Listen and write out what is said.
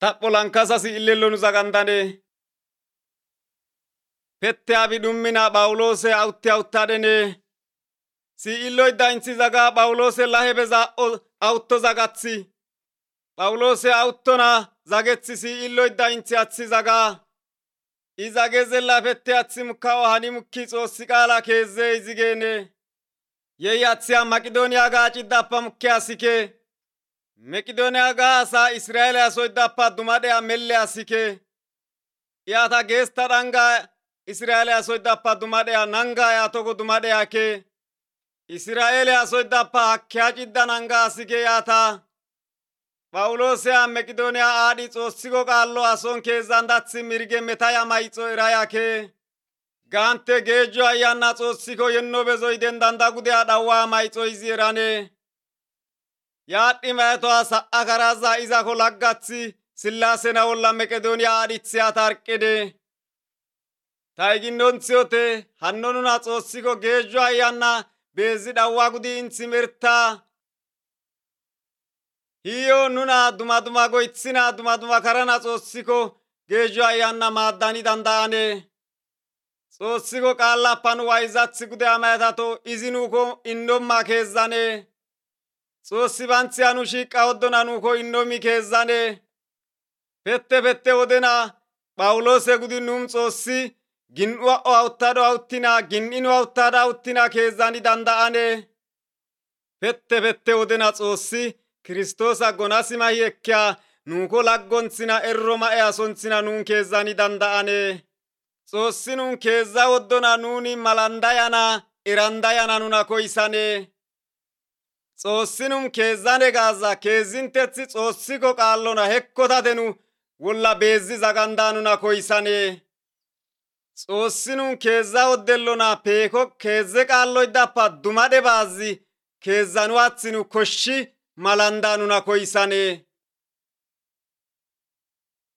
Tapholan kasasi illellonu zagandane. Pette abi dummina Phaawulose awuttadene. Si illoy dainthi zaga Phaawulose lahebeza awutto zagathi. Phaawulose awuttona zagethi si illoy dainthi athi zaga. Iza gezella pette athi mukkawo hani mukki Xoossi qaala keeze izigene. Yehi athiya Maqidooniya gaacidappa mukki asike. Maqidooniya gaasa Israa'eele asoydappa dumadheya melle asike. Iyata geesta dhanga Israa'eele asoydappa dumadheya nanga yatogo dumadheya ke. Israa'eele asoydappa hakkeya cidda nanga asike yata. Phaawuloseya Maqidooniya aadhi Xoossiko qaallo ason keezandathi mirge metaya mayxo eraya ke. Gante geejjo ayyanna Xoossiko yenno bezoyden danda gudeya dhawwa mayxo izi erane. Yaadhi maytoa sa'a karaza izako laggathi Sillaasena olla Maqidooniya aadhitheya tarqide. Tayginnonthiyote hanno nuna Xoossiko geejjo ayyanna beezi dhawwa gudi intsimerta. Hiyo nuna duma goythina duma karana Xoossiko geejjo ayyanna maaddani danda'ane. Xoossiko qaallappan wayzathi gude amaytato izi nuuko innomma keezzane. Xoossi banthi anu shiiqa woddona nuuko innomi keezzane. Pette wodena Phaawulose gudi num Xoossi gin'uwa awuttado awuttina gin'inu awuttada awuttina keezzani danda'ane. Pette wodena Xoossi Kiristoosa gonasimahi ekkeya nuuko laggonthina erro ma'e asonthina nun keezzani danda'ane. Xoossi nun keezza woddona nuni malandayana erandayana nuna koysane. Xoossi nun keezzane gaaza keezzintethi Xoossiko qaallona hekkotatenu wolla beezzi zaganda nuna koysane. Xoossi nun keezza woddellona peeko keezze qaalloydappa dumadhe baazzi keezzanu athinu koshshi malanda nuna koysane.